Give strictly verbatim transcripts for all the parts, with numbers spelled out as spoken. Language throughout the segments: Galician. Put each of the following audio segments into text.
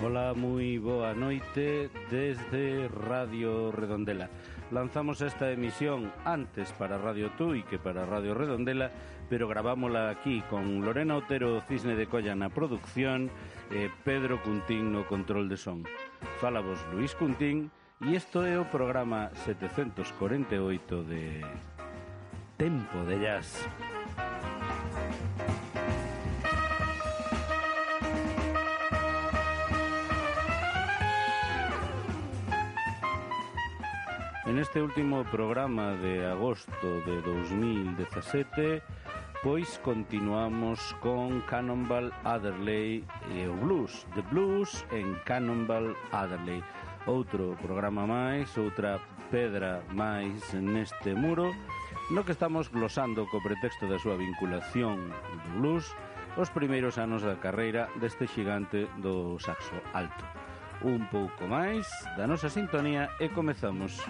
Ola, moi boa noite desde Radio Redondela. Lanzamos esta emisión antes para Radio Tui que para Radio Redondela, pero gravámola aquí con Lorena Otero Cisne de Colla na producción e Pedro Cuntín no control de son. Fala vos Luís Cuntín e isto é o programa setecentos cuarenta e oito de Tempo de Jazz. En este último programa de agosto de dos mil dezasete, pois continuamos con Cannonball Adderley e o blues, The Blues en Cannonball Adderley. Outro programa máis, outra pedra máis neste muro, no que estamos glosando co pretexto da súa vinculación do blues os primeiros anos da carreira deste xigante do saxo alto. Un pouco máis da nosa sintonía e comezamos.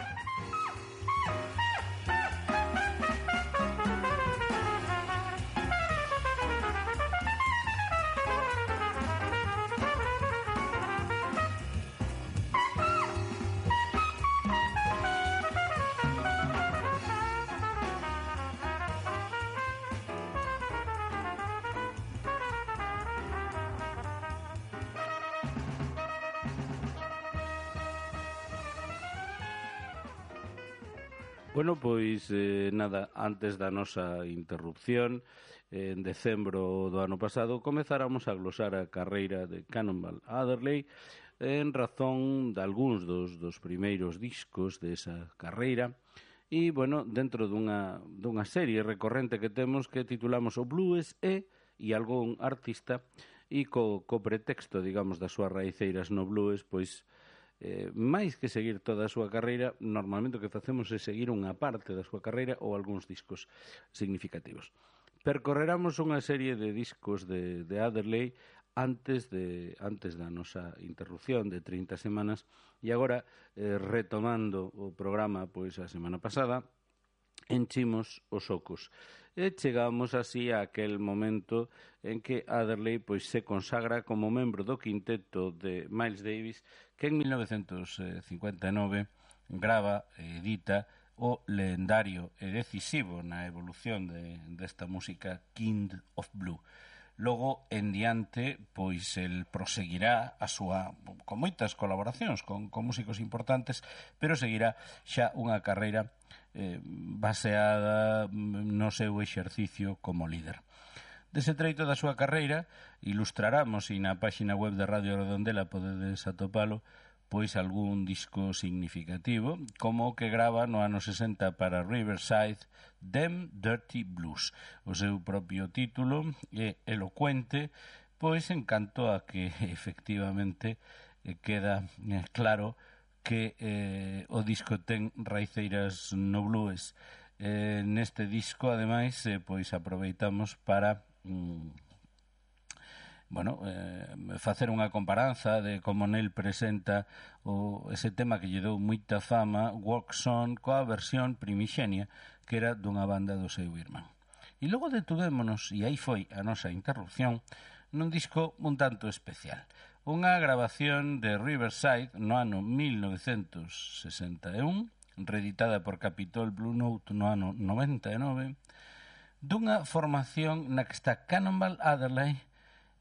Bueno, pois, eh, nada, antes da nosa interrupción, eh, en decembro do ano pasado, comezáramos a glosar a carreira de Cannonball Adderley en razón de algúns dos, dos primeiros discos desa carreira e, bueno, dentro dunha, dunha serie recorrente que temos que titulamos O Blues e e algún artista e co, co pretexto, digamos, das súas raiceiras no blues, pois, Eh, máis que seguir toda a súa carreira, normalmente o que facemos é seguir unha parte da súa carreira ou algúns discos significativos. Percorreramos unha serie de discos de, de Adderley antes de antes da nosa interrupción de trinta semanas e agora, eh, retomando o programa pois a semana pasada, enchimos os ocos e chegamos así a aquel momento en que Adderley pois se consagra como membro do quinteto de Miles Davis, que en mil novecentos cincuenta e nove grava e edita o lendario e decisivo na evolución de, desta música King of Blue. Logo, en diante, pois el proseguirá a súa, con moitas colaboracións con, con músicos importantes, pero seguirá xa unha carreira eh, baseada no seu exercicio como líder. Dese treito da súa carreira, ilustraramos, e na páxina web de Radio Redondela podedes atopalo, pois algún disco significativo, como o que grava no ano sesenta para Riverside, Them Dirty Blues. O seu propio título é elocuente, pois en canto a que efectivamente queda claro que eh, o disco ten raiceiras no blues. Eh, neste disco, ademais, eh, pois aproveitamos para Mm, bueno, eh, facer unha comparanza de como nel presenta o, ese tema que lle dou moita fama, Walk Song, coa versión primixenia que era dunha banda do seu irmán. E logo detudémonos, e aí foi a nosa interrupción, nun disco un tanto especial, unha grabación de Riverside no ano mil novecentos sesenta e un, reeditada por Capitol Blue Note no ano noventa e nove, dunha formación na que está Cannonball Adderley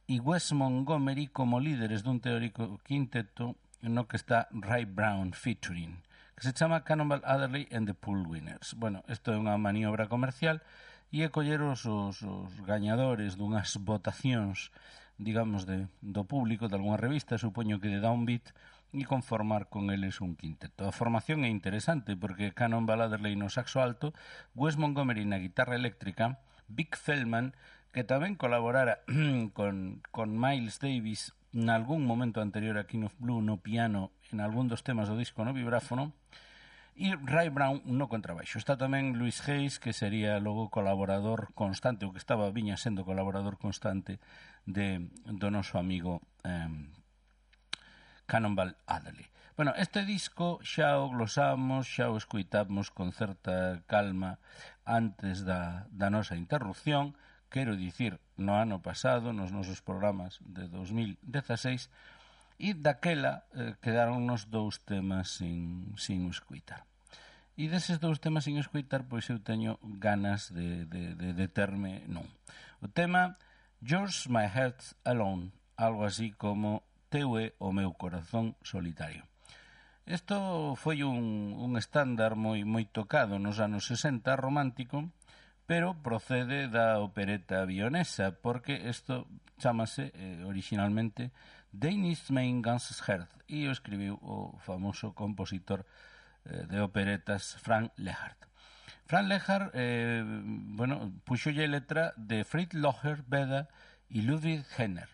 e Wes Montgomery como líderes dun teórico quinteto no que está Ray Brown featuring, que se chama Cannonball Adderley and the Pool Winners. Bueno, isto é unha maniobra comercial e é coller os, os, os gañadores dunhas votacións, digamos, de, do público de algunha revista, supoño que de Downbeat, e conformar con eles un quinteto. A formación é interesante porque Cannonball Adderley no saxo alto, Wes Montgomery na guitarra eléctrica, Vic Feldman, que tamén colaborara con, con Miles Davis en algún momento anterior a King of Blue no piano, en algún dos temas do disco no vibráfono, e Ray Brown no contrabaixo. Está tamén Louis Hayes, que sería logo colaborador constante, o que estaba viña sendo colaborador constante de do noso amigo eh, Cannonball Adderley. Bueno, este disco xa o glosamos, xa o escuitamos con certa calma antes da, da nosa interrupción, quero dicir, no ano pasado, nos nosos programas de dos mil dezaseis, e daquela eh, quedaronnos dous temas sin, sin escuitar. E deses dous temas sin escuitar, pois eu teño ganas de, de, de determe nun. O tema Yours My Heart Alone, algo así como Teu é o meu corazón solitario. Isto foi un, un estándar moi, moi tocado nos anos sesenta, romántico, pero procede da opereta vionesa, porque isto chamase eh, originalmente Danish Main Guns Heart, e o escribiu o famoso compositor eh, de operetas Frank Lehart. Frank Lehart, eh, bueno, puxolle letra de Fritz Lohner, Beda e Ludwig Henner.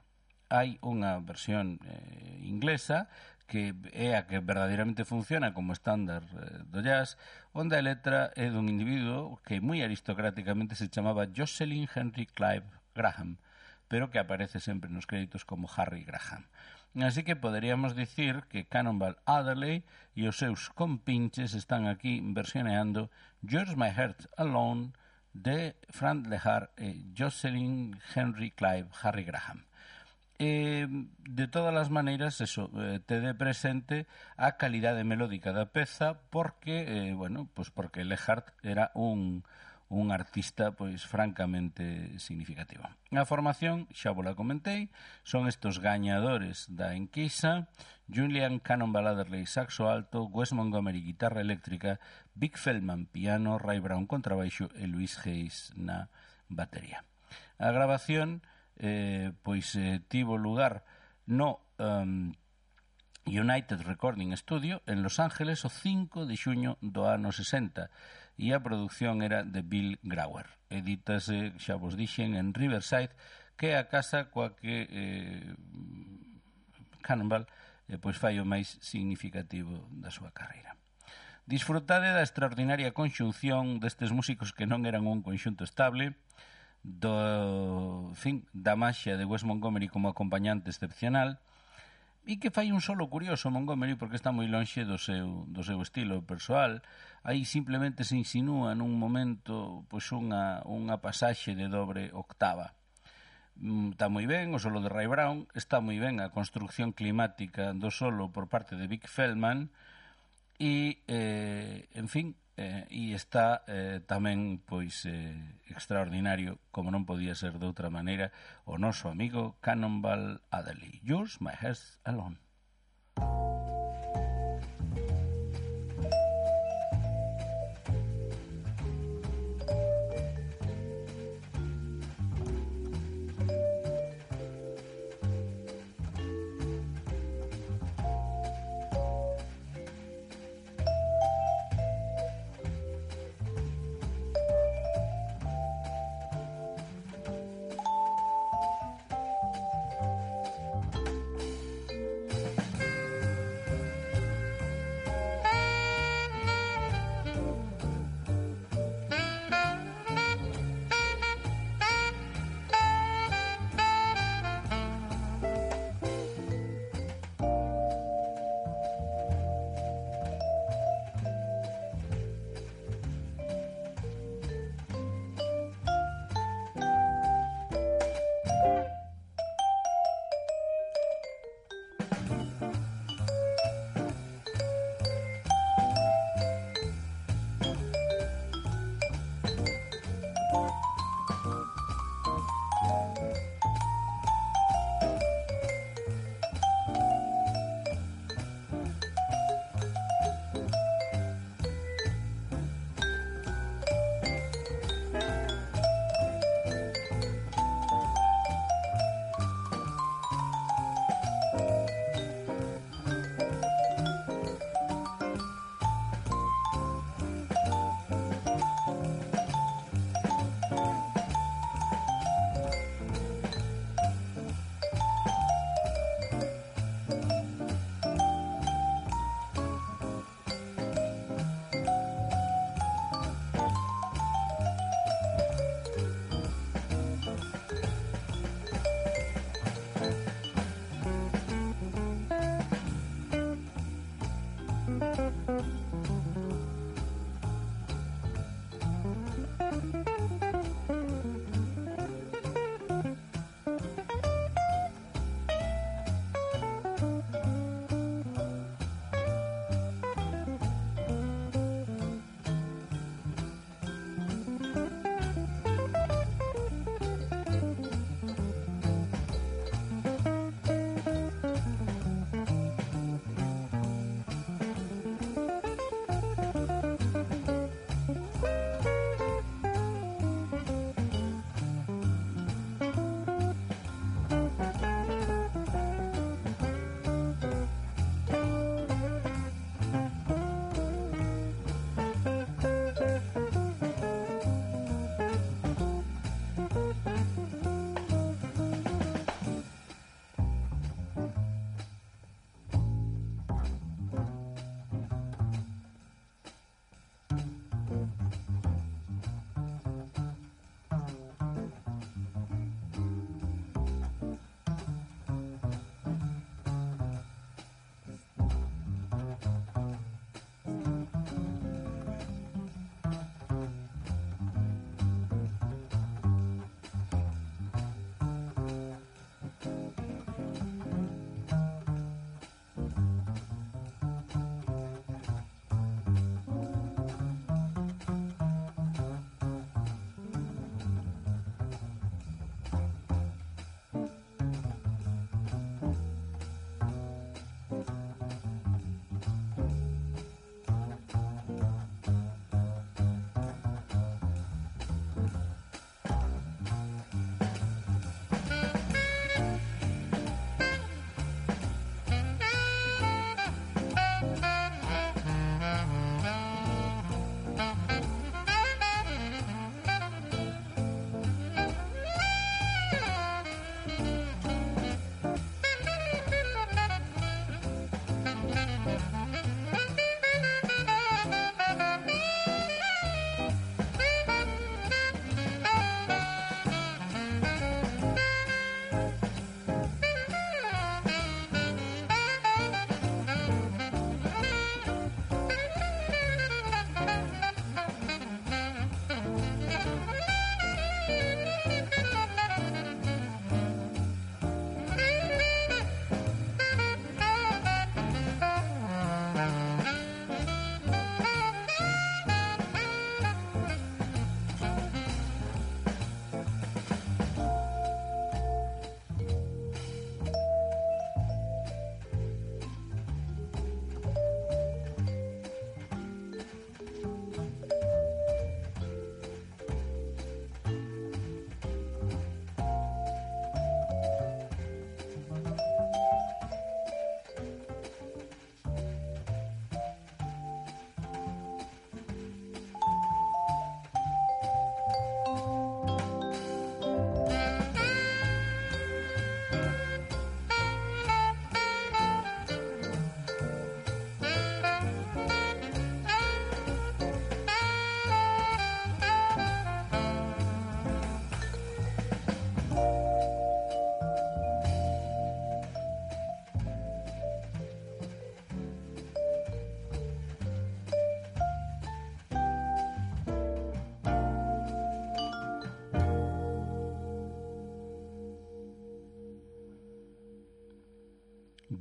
Hai unha versión eh, inglesa que é a que verdadeiramente funciona como estándar eh, do jazz, onde a letra é dun individuo que moi aristocráticamente se chamaba Jocelyn Henry Clive Graham, pero que aparece sempre nos créditos como Harry Graham. Así que poderíamos dicir que Cannonball Adderley e os seus compinches están aquí versioneando Yours My Heart Alone de Frank Lehart e Jocelyn Henry Clive Harry Graham. Eh, de todas as maneiras, eso, eh, tede presente a calidade melódica da peza porque, eh, bueno, pues porque Lehart era un un artista pois francamente significativo. A formación, xa vos la comentei, son estos gañadores da enquisa: Julian Cannonball Adderley saxo alto, Wes Montgomery guitarra eléctrica, Vic Feldman piano, Ray Brown contrabaixo e Louis Hayes na batería. A grabación eh, pois eh, tivo lugar no um, United Recording Studio en Los Ángeles o cinco de xuño do ano sesenta, e a produción era de Bill Grauer. Edítase, xa vos dixen, en Riverside, que é a casa coa que eh, Cannonball eh, pois fai o máis significativo da súa carreira. Disfrutade da extraordinaria conxunción destes músicos que non eran un conxunto estable, do, en fin, da maxia de Wes Montgomery como acompañante excepcional, e que fai un solo curioso Montgomery porque está moi lonxe do seu, do seu estilo persoal. Aí simplemente se insinúa nun momento pois unha, unha pasaxe de dobre octava. Está moi ben o solo de Ray Brown, está moi ben a construcción climática do solo por parte de Vic Feldman e, eh, en fin, eh, e está eh, tamén pois eh, extraordinario, como non podía ser de outra maneira, o noso amigo Cannonball Adderley. Yours My Heart Alone.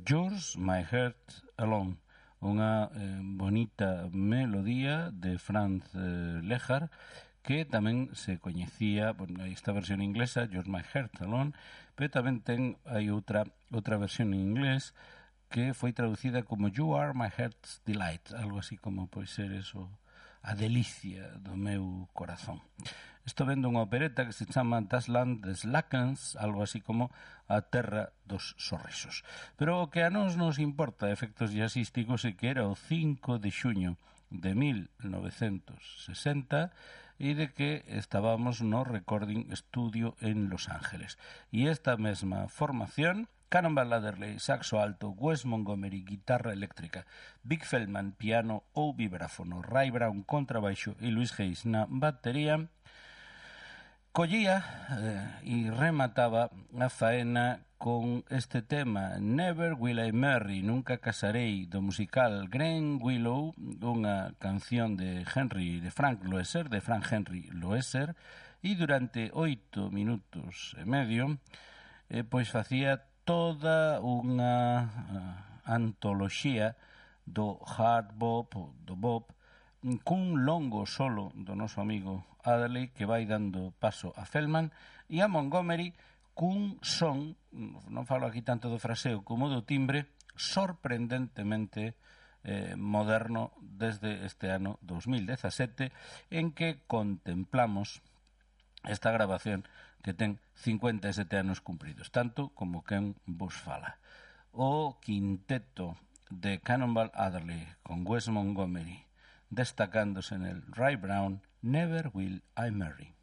Yours, My Heart Alone, unha eh, bonita melodía de Franz eh, Lehár, que tamén se coñecía, bueno, esta versión inglesa, Yours, My Heart Alone, pero tamén ten hai outra outra versión en inglés que foi traducida como You Are My Heart's Delight, algo así como pois ser eso, a delicia do meu corazón. Isto vendo unha opereta que se chama Das Land des Lackens, algo así como a terra dos sorrisos. Pero o que a nos nos importa, efectos jazzísticos, é que era o cinco de xuño de mil novecentos sesenta e de que estábamos no Recording Studio en Los Ángeles. E esta mesma formación, Cannonball Adderley, saxo alto, Wes Montgomery, guitarra eléctrica, Vic Feldman, piano ou vibráfono, Ray Brown, contrabaixo e Louis Hayes na batería, collía eh, e remataba a faena con este tema Never Will I Marry, Nunca Casarei, do musical Green Willow, unha canción de Henry, de Frank Loesser, de Frank Henry Loesser, e durante oito minutos e medio eh, pois facía toda unha uh, antoloxía do hard bop, do bop, cun longo solo do noso amigo Adderley que vai dando paso a Feldman e a Montgomery cun son, non falo aquí tanto do fraseo como do timbre, sorprendentemente eh, moderno desde este ano dos mil dezasete, en que contemplamos esta grabación que ten cincuenta e sete anos cumpridos, tanto como quen vos fala. O quinteto de Cannonball Adderley con Wes Montgomery destacándose en el Ray Brown, Never Will I Marry.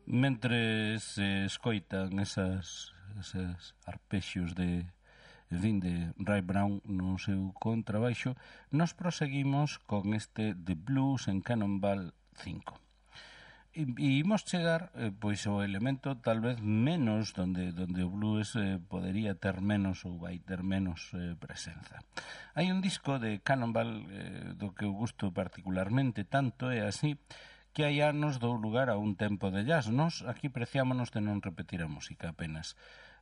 Mentre se escoitan esas, esas arpexios de, en fin, de Ray Brown no seu contrabaixo, nos proseguimos con este The Blues en Cannonball cinco. E, e imos chegar eh, pois ao elemento tal vez menos donde, donde o blues eh, podería ter menos ou vai ter menos eh, presenza. Hai un disco de Cannonball eh, do que eu gusto particularmente, tanto é así que hai anos dou lugar a un tempo de jazz. Nos aquí preciámonos de non repetir a música apenas.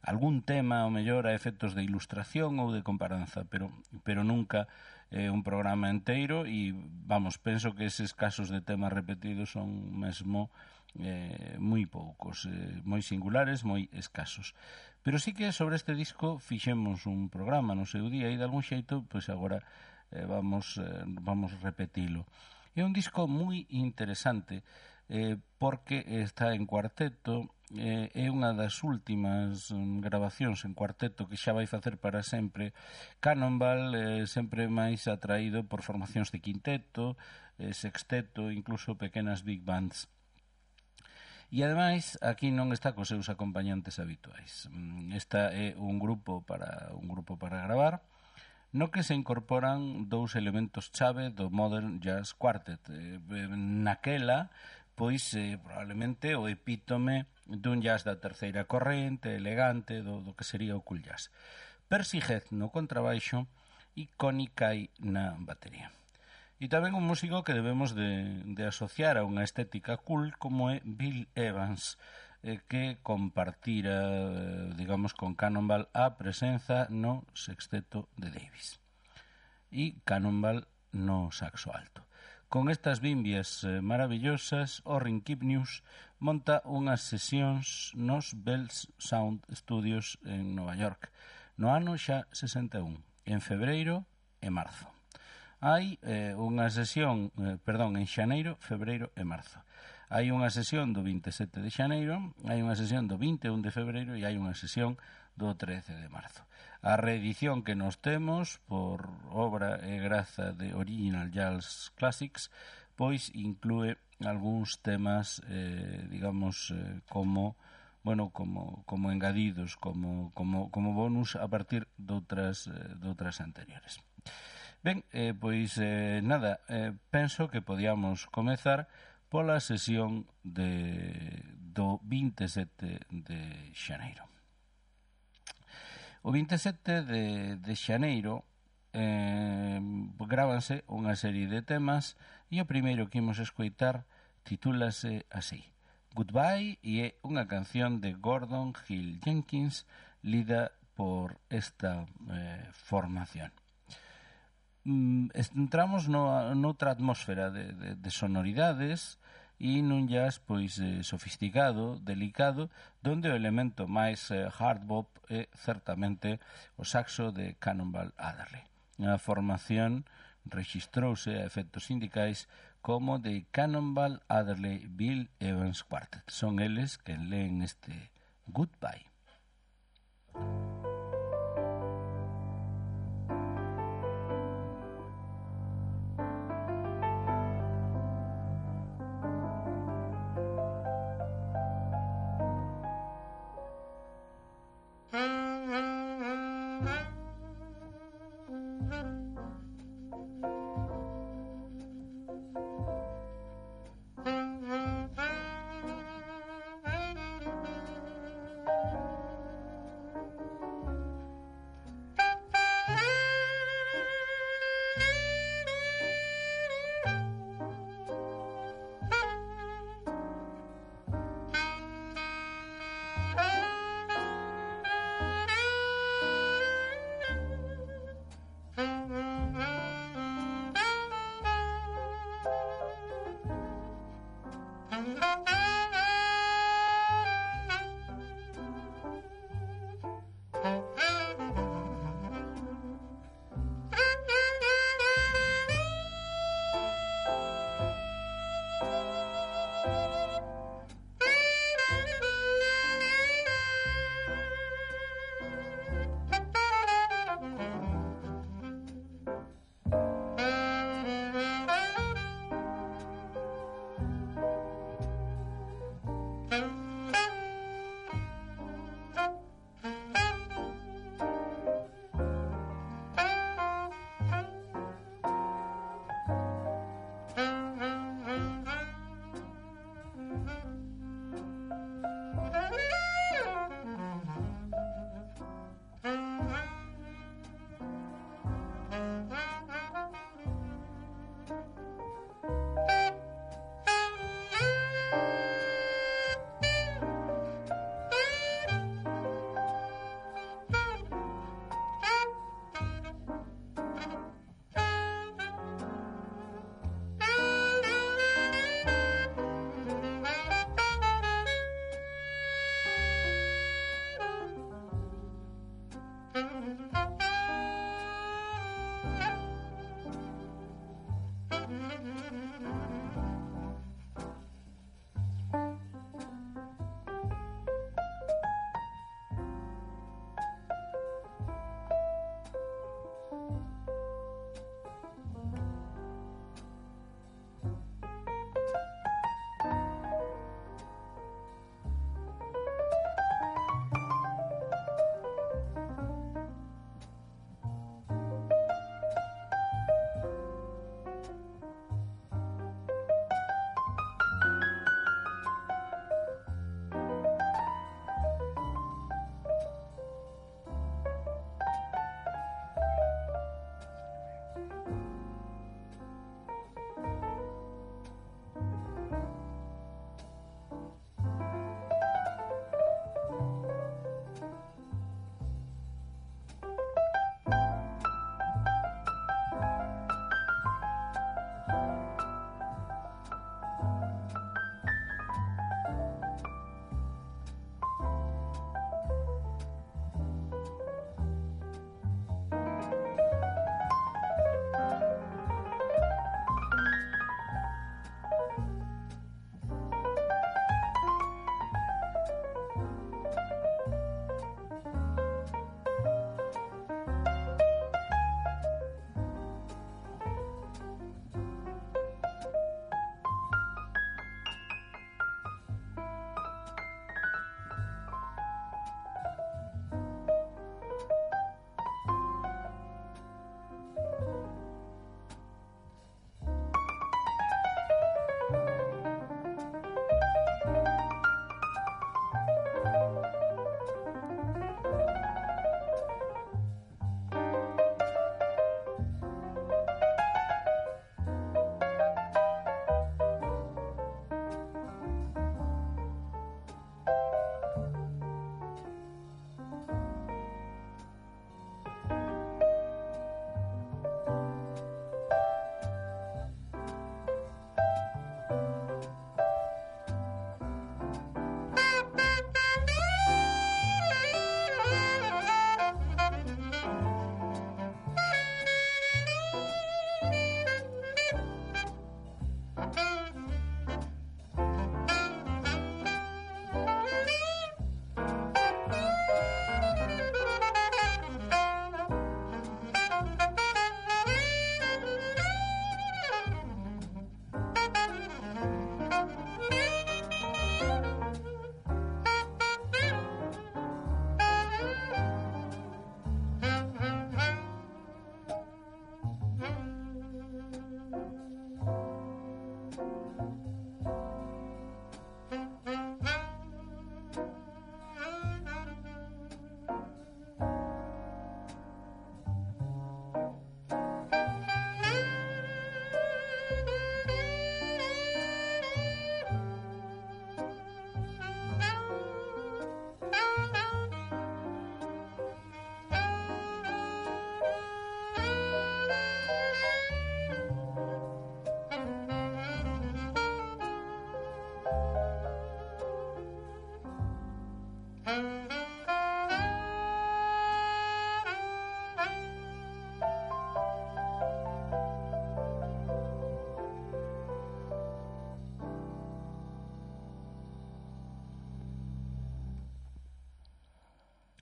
Algún tema, ao mellor, a efectos de ilustración ou de comparanza, pero, pero nunca eh, un programa enteiro e, vamos, penso que eses casos de temas repetidos son mesmo eh, moi poucos, eh, moi singulares, moi escasos. Pero sí que sobre este disco fixemos un programa no seu día e de algún xeito, pois agora eh, vamos, eh, vamos repetilo. É un disco moi interesante eh, porque está en cuarteto, eh, é unha das últimas um, grabacións en cuarteto que xa vai facer para sempre. Cannonball eh, sempre máis atraído por formacións de quinteto, eh, sexteto, incluso pequenas big bands. E ademais aquí non está cos seus acompañantes habituais. Esta é un grupo para un grupo para gravar, no que se incorporan dous elementos chave do Modern Jazz Quartet. Eh, naquela, pois, eh, probablemente o epítome dun jazz da terceira corrente, elegante, do, do que sería o cool jazz. Percy Heath no contrabaixo e Connie Kay na batería. E tamén un músico que debemos de, de asociar a unha estética cool como é Bill Evans, eh, que compartira, eh, digamos, con Cannonball a presenza no sexteto de Davis e Cannonball no saxo alto. Con estas bimbias eh, maravillosas, Orrin Kipnius monta unhas sesións nos Bells Sound Studios en Nova York no ano xa sesenta e un, en febreiro e marzo. Hai eh, unha sesión, eh, perdón, en xaneiro, febreiro e marzo. Hai unha sesión do vinte e sete de xaneiro, hai unha sesión do vinte e un de febreiro e hai unha sesión do trece de marzo. A reedición que nos temos por obra e graza de Original Jazz Classics pois inclúe algúns temas eh, digamos eh, como bueno, como, como engadidos, como, como, como bonus a partir de outras, eh, de outras anteriores. Ben, eh, pois eh, nada, eh, penso que podíamos comezar pola sesión de, do vinte e sete de xaneiro. O vinte e sete de, de xaneiro eh, grábanse unha serie de temas e o primeiro que imos escoitar titúlase así, Goodbye, e é unha canción de Gordon Hill Jenkins lida por esta eh, formación. Mm, entramos no, noutra atmósfera de, de, de sonoridades e nun jazz pois eh, sofisticado, delicado, donde o elemento máis eh, hard bop é certamente o saxo de Cannonball Adderley. A formación rexistrouse a efectos sindicais como de Cannonball Adderley Bill Evans Quartet. Son eles que leen este Goodbye.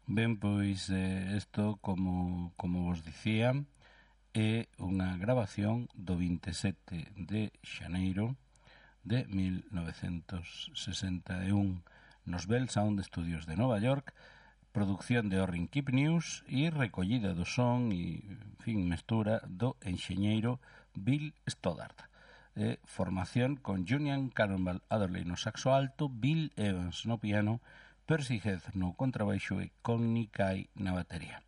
Ben, pois isto, eh, como, como vos dicía, é unha grabación do vinte e sete de xaneiro de mil novecentos sesenta e un nos Bell Sound Studios de Nova York, producción de Orrin Keep News e recollida do son e, en fin, mestura do enxeñeiro Bill Stoddard. Eh, formación con Julian Cannonball Adderley no saxo alto, Bill Evans no piano, Percy Heath no contrabaixo e Connie Kay na batería.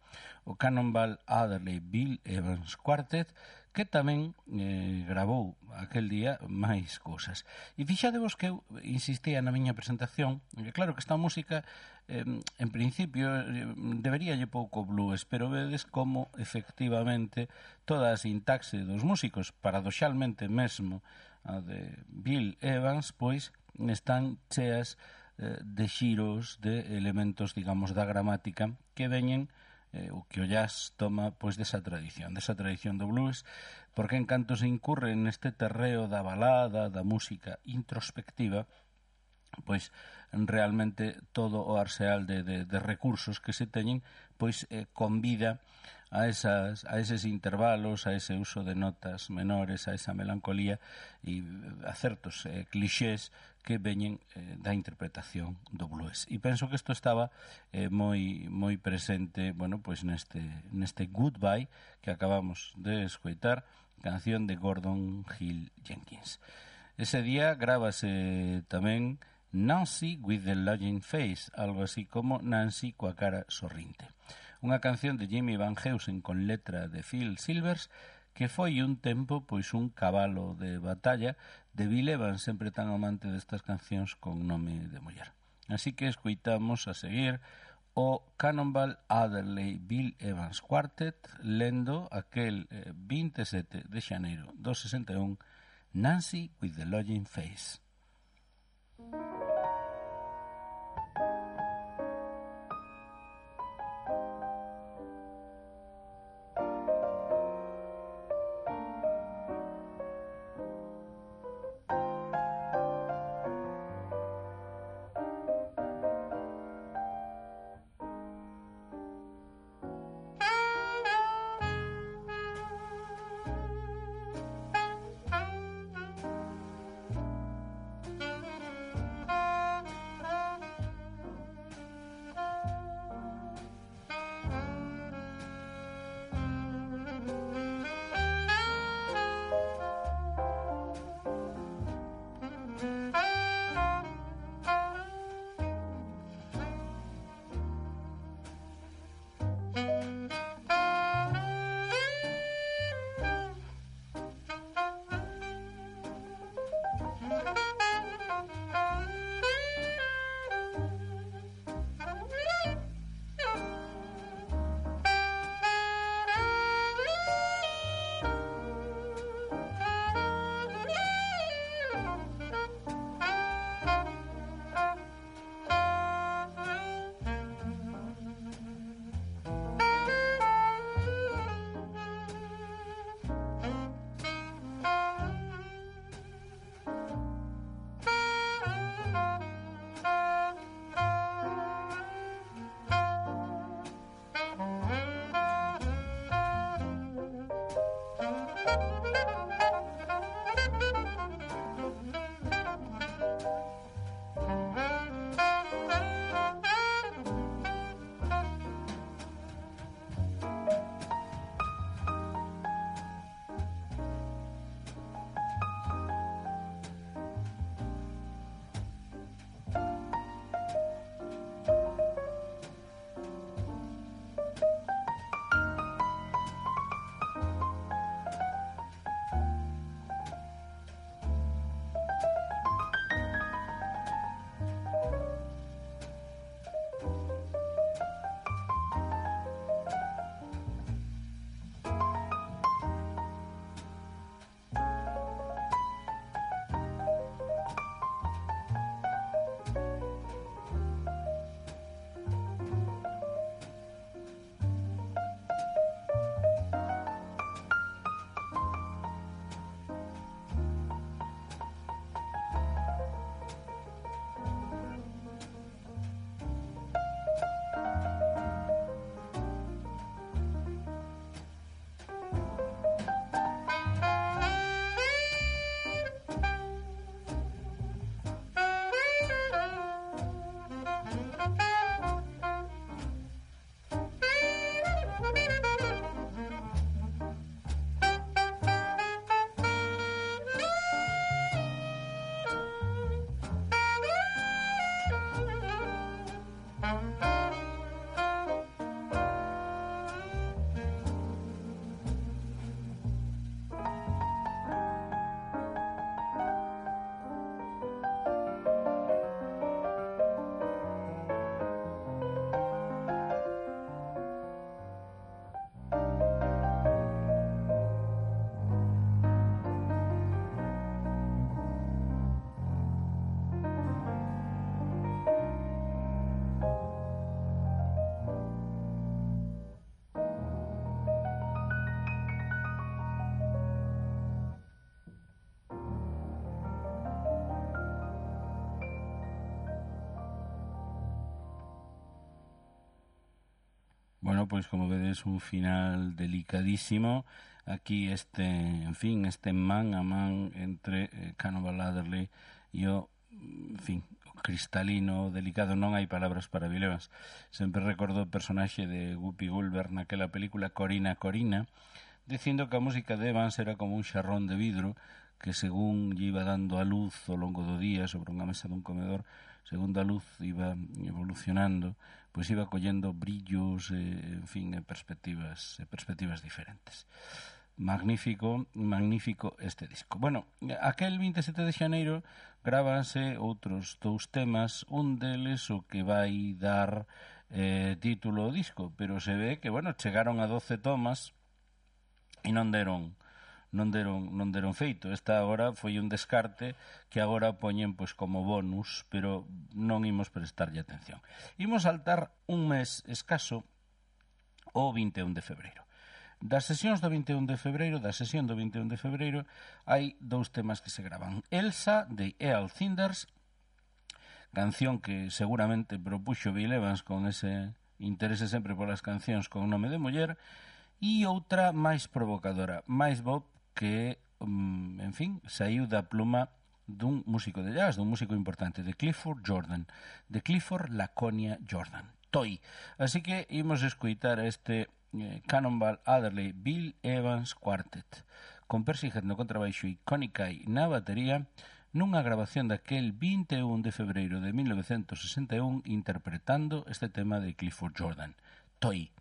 O Cannonball Adderley Bill Evans Quartet, que tamén eh, grabou aquel día máis cousas. E fixadevos que eu insistía na miña presentación, que claro que esta música eh, en principio eh, deberíalle pouco blues, pero vedes como efectivamente toda a sintaxe dos músicos, paradoxalmente mesmo a de Bill Evans, pois están cheas eh, de xiros, de elementos, digamos, da gramática que veñen eh, o que o jazz toma pois desa tradición, desa tradición do blues, porque en canto se incurre neste terreo da balada, da música introspectiva, pois realmente todo o arseal de, de, de recursos que se teñen pois eh, convida a, esas, a eses intervalos, a ese uso de notas menores, a esa melancolía e a certos eh, clixés que veñen eh, da interpretación do blues. E penso que isto estaba eh, moi moi presente, bueno, pois neste neste Goodbye que acabamos de escoitar, canción de Gordon Hill Jenkins. Ese día grábase tamén Nancy with the Lodging Face, algo así como Nancy coa cara sorrinte. Unha canción de Jimmy Van Heusen con letra de Phil Silvers, que foi un tempo pois un cabalo de batalla de Bill Evans, sempre tan amante destas cancións con nome de muller. Así que escoitamos a seguir o Cannonball Adderley Bill Evans Quartet lendo aquel eh, vinte e sete de xaneiro do sesenta e un, Nancy with the Lodging Face. Bueno, pois como vedes, un final delicadísimo. Aquí este, en fin, este man a man entre eh, Cannonball Adderley e o, en fin, o cristalino, delicado. Non hai palabras para Bill Evans. Sempre recordo o personaxe de Whoopi Goldberg naquela película Corina Corina, dicindo que a música de Evans era como un xarrón de vidro que según lle iba dando a luz ao longo do día sobre unha mesa dun comedor, segundo a luz iba evolucionando, pois iba collendo brillos, eh, en fin, e perspectivas, e perspectivas diferentes. Magnífico, magnífico este disco. Bueno, aquel vinte e sete de xaneiro grábanse outros dous temas, un deles o que vai dar eh, título ao disco, pero se ve que, bueno, chegaron a doce tomas e non deron non deron non deron feito. Esta agora foi un descarte que agora poñen pois como bonus, pero non imos prestarlle atención. Imos saltar un mes escaso o vinte e un de febreiro. Das sesións do vinte e un de febreiro, da sesión do vinte e un de febreiro, hai dous temas que se gravan. Elsa, de Eal Cinders, canción que seguramente propuxo Bill Evans con ese interese sempre polas cancións con nome de muller, e outra máis provocadora, máis Bob, que, en fin, saiu da pluma dun músico de jazz, dun músico importante, de Clifford Jordan, de Clifford Laconia Jordan, Toy. Así que imos escoitar este eh, Cannonball Adderley Bill Evans Quartet, con Percy Heath no contrabaixo e Connie Kay na batería, nunha grabación daquel vinte e un de febreiro de mil novecentos sesenta e un, interpretando este tema de Clifford Jordan, Toy.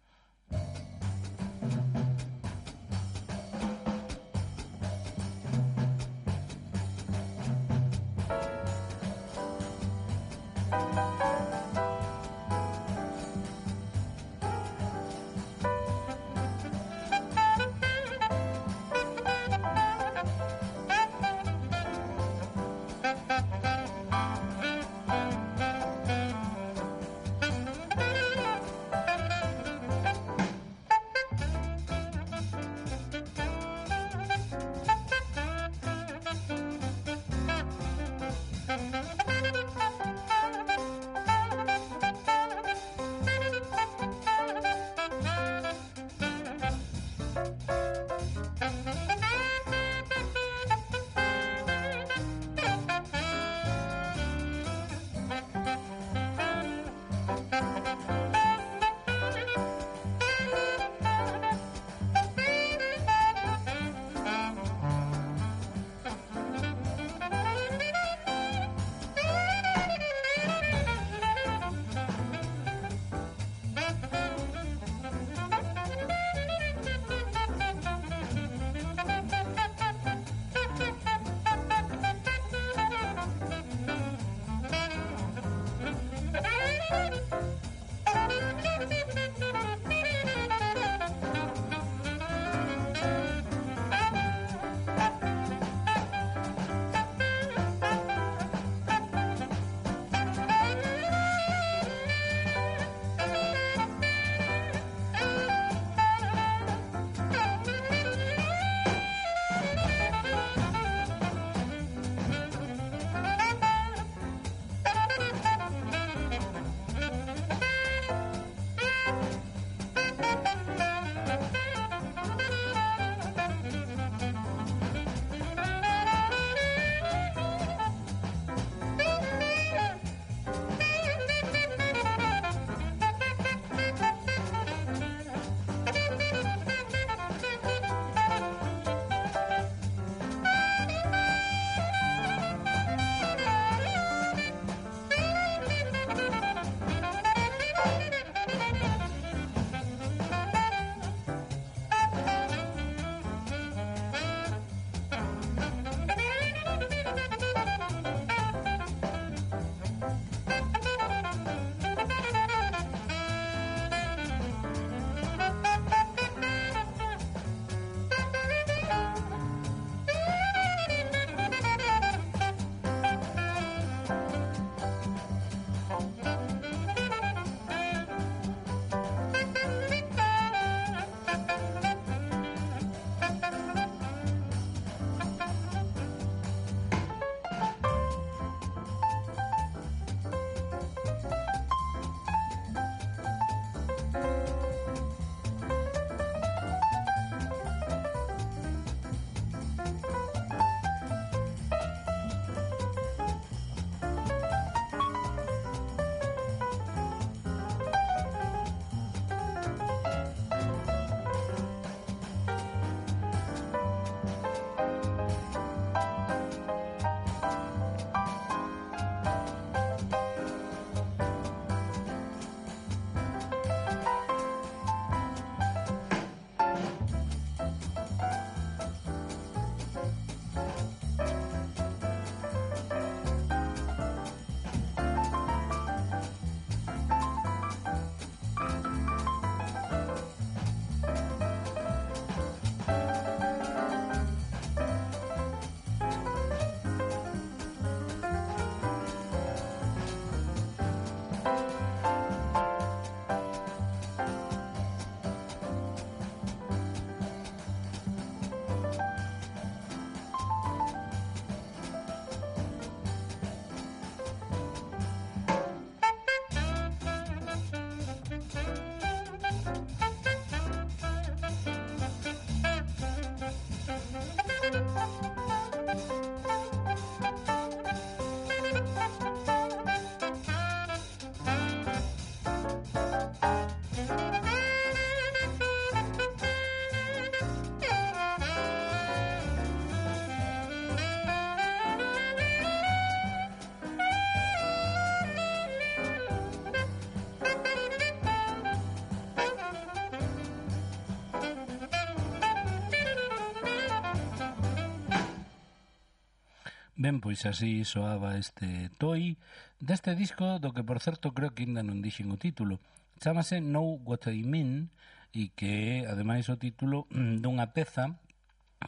Ben, pois así soaba este Toy deste disco do que, por certo, creo que ainda non dixen o título. Chámase Know What I Mean e que é, ademais, o título dunha peza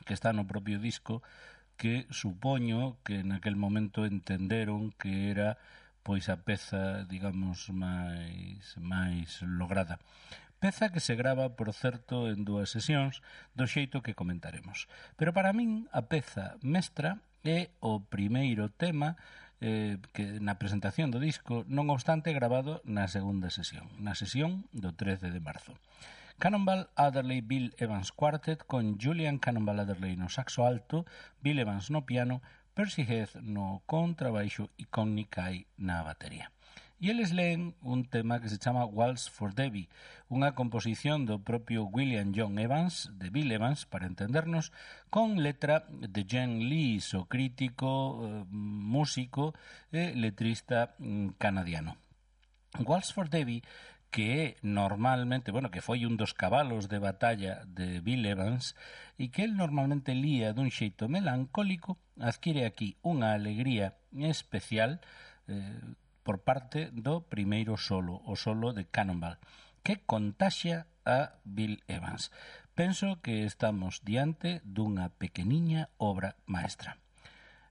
que está no propio disco que supoño que naquel momento entenderon que era pois a peza, digamos, máis, máis lograda. Peza que se grava, por certo, en dúas sesións, do xeito que comentaremos. Pero para min a peza mestra é o primeiro tema eh, que na presentación do disco, non obstante gravado na segunda sesión, na sesión do trece de marzo. Cannonball Adderley Bill Evans Quartet con Julian Cannonball Adderley no saxo alto, Bill Evans no piano, Percy Heath no contrabaixo e Connie Kay na batería. E eles leen un tema que se chama Waltz for Debbie, unha composición do propio William John Evans, de Bill Evans, para entendernos, con letra de Jen Lees, o crítico, eh, músico e letrista mm, canadiano. Waltz for Debbie, que é normalmente, bueno, que foi un dos cabalos de batalla de Bill Evans e que el normalmente lía dun xeito melancólico, adquire aquí unha alegría especial eh, por parte do primeiro solo, o solo de Cannonball, que contaxia a Bill Evans. Penso que estamos diante dunha pequeniña obra maestra.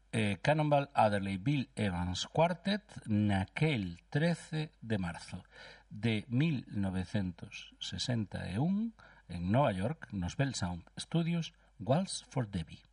Eh, Cannonball Adderley Bill Evans Quartet naquel trece de marzo de mil novecentos sesenta e un en Nova York, nos Bell Sound Studios, Waltz for Debbie.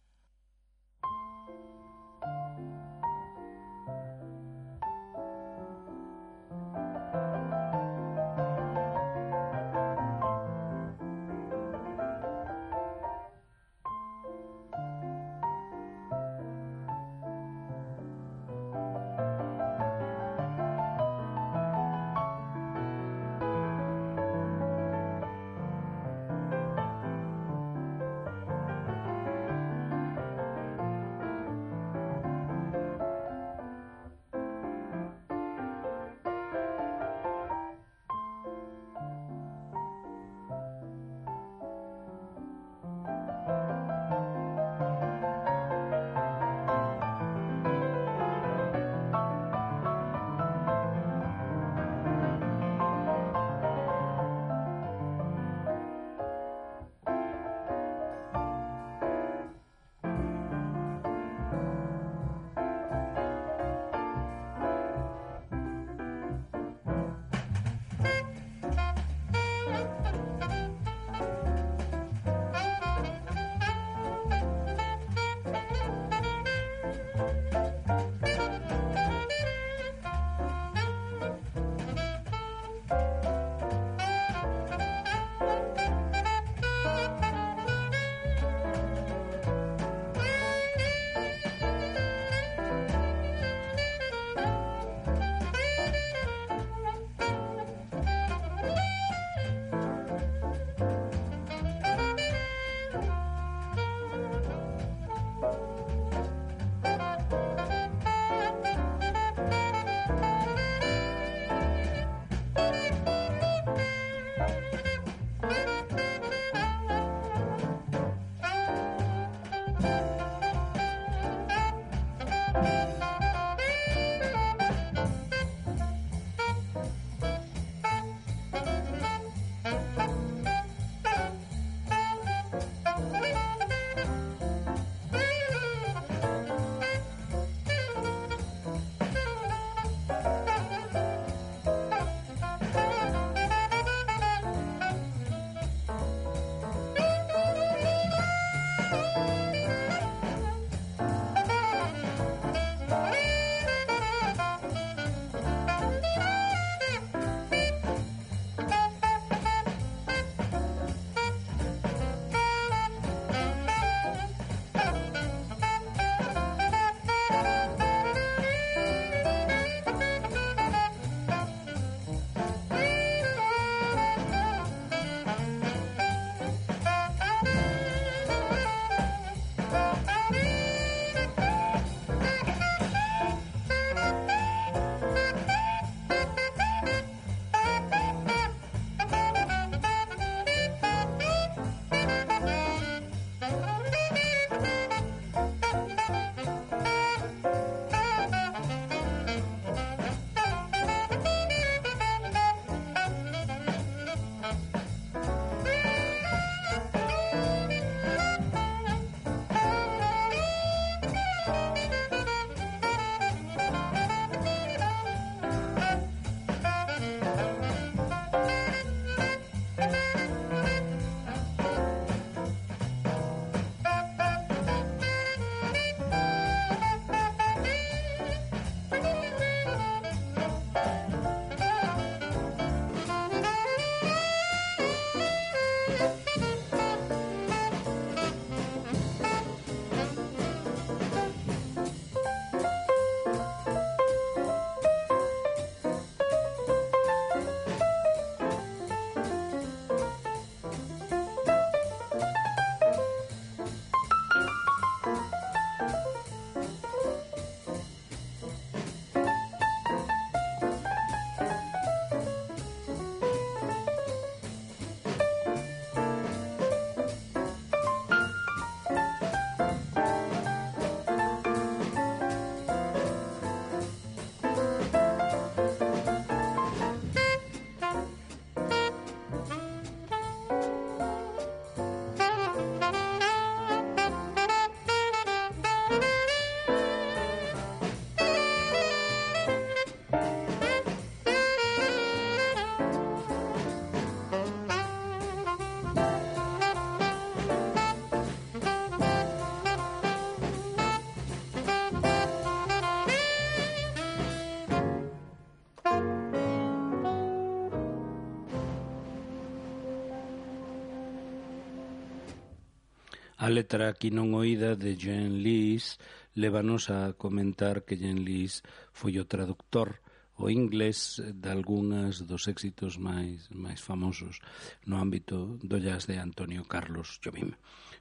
A letra aquí non oída de Jean Lees lévanos a comentar que Jean Lees foi o traductor o inglés de algúnas dos éxitos máis máis famosos no ámbito do jazz de Antonio Carlos Jobim.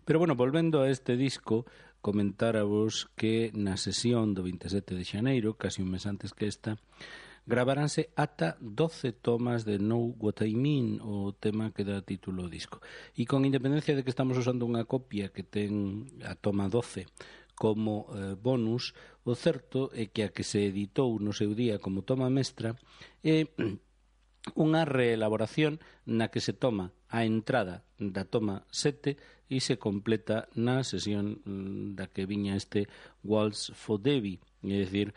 Pero bueno, volvendo a este disco, comentáravos que na sesión do vinte e sete de xaneiro, casi un mes antes que esta, gravaranse ata doce tomas de Know What I Mean, o tema que dá título ao disco. E con independencia de que estamos usando unha copia que ten a toma doce como eh, bonus, o certo é que a que se editou no seu día como toma mestra é unha reelaboración na que se toma a entrada da toma sete e se completa na sesión da que viña este Waltz for Debbie, é dicir,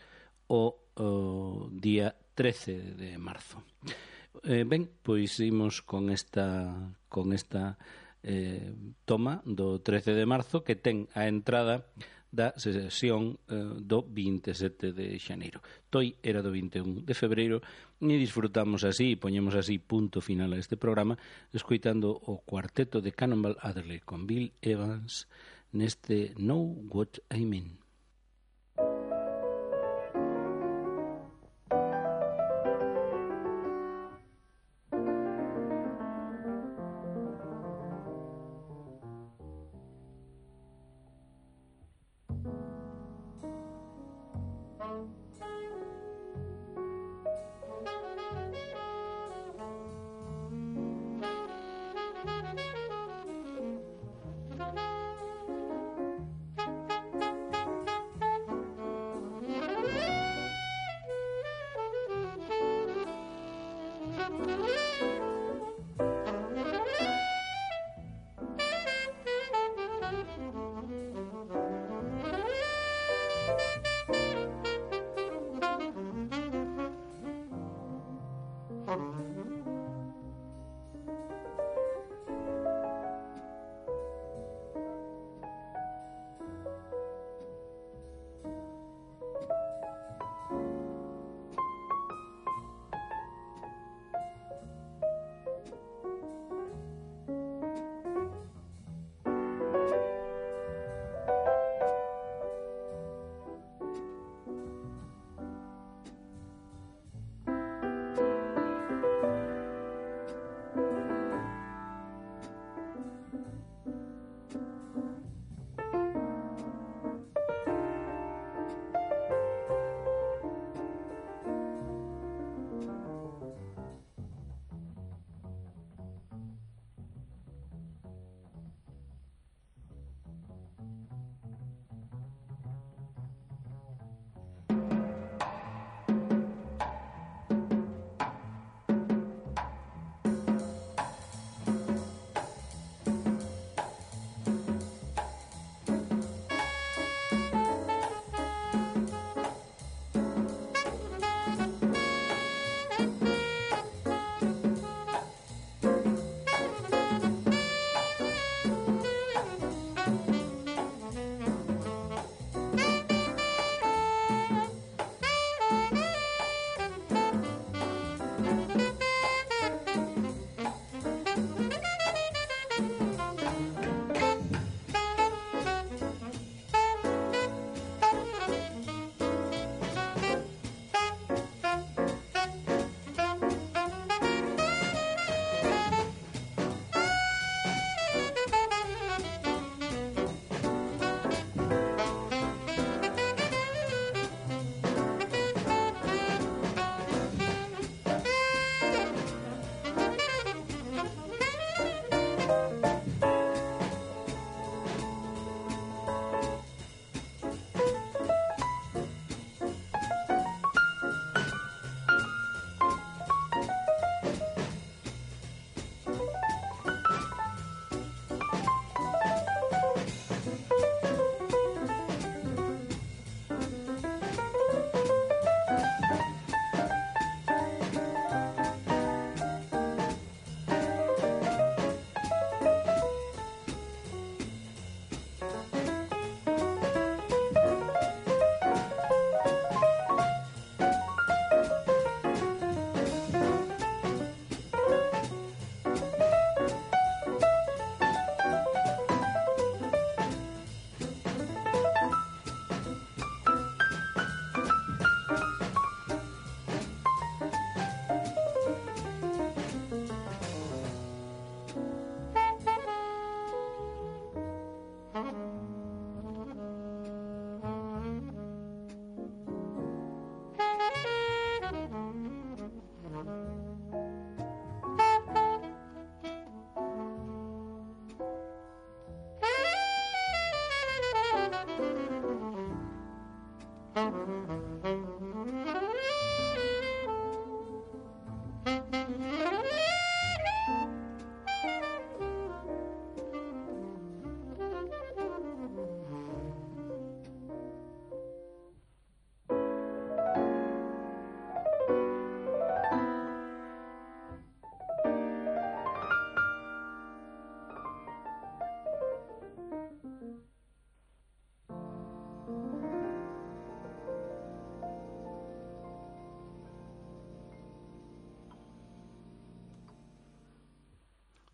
o o día trece de marzo. Eh, ben, pois imos con esta con esta eh, toma do trece de marzo que ten a entrada da sesión eh, do vinte e sete de xaneiro. Toi era do vinte e un de febreiro e disfrutamos así, e poñemos así punto final a este programa escoitando o cuarteto de Cannonball Adderley con Bill Evans neste Know What I Mean.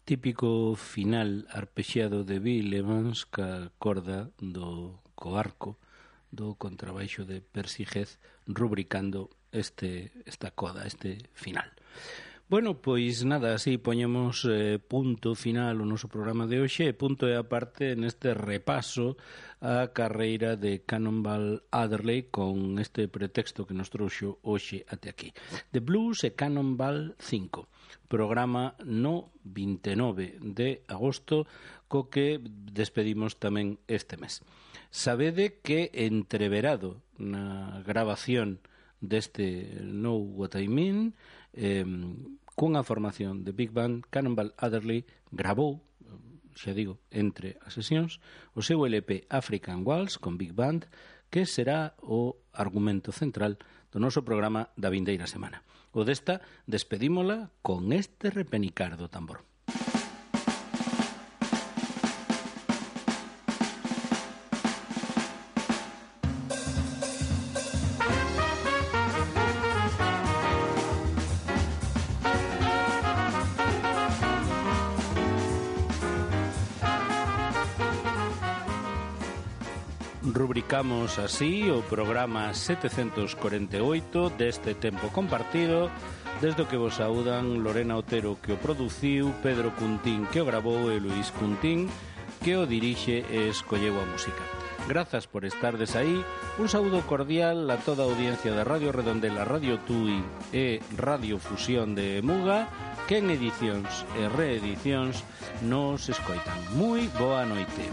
Típico final arpexiado de Bill Evans ca corda do co arco do contrabaixo de Percy Heath rubricando este esta coda, este final. Bueno, pois nada, así poñemos eh, punto final o noso programa de hoxe, punto e aparte neste repaso a carreira de Cannonball Adderley con este pretexto que nos trouxo hoxe até aquí. The Blues e Cannonball cinco, programa no vinte e nove de agosto, co que despedimos tamén este mes. Sabede que entreverado na grabación deste Know What I Mean, eh, cunha formación de Big Band, Cannonball Adderley grabou, xa digo, entre as sesións, o seu L P African Waltz con Big Band, que será o argumento central do noso programa da vindeira semana. O desta despedímola con este repenicar do tambor. Rubricamos así o programa setecentos corenta e oito deste tempo compartido, desde o que vos saúdan Lorena Otero, que o produciu, Pedro Cuntín, que o grabou, e Luís Cuntín, que o dirixe e escolleu a música. Grazas por estardes aí. Un saúdo cordial a toda a audiencia da Radio Redondela, Radio Tui e Radio Fusión de Muga, que en edicións e reedicións nos escoitan. Moi boa noite.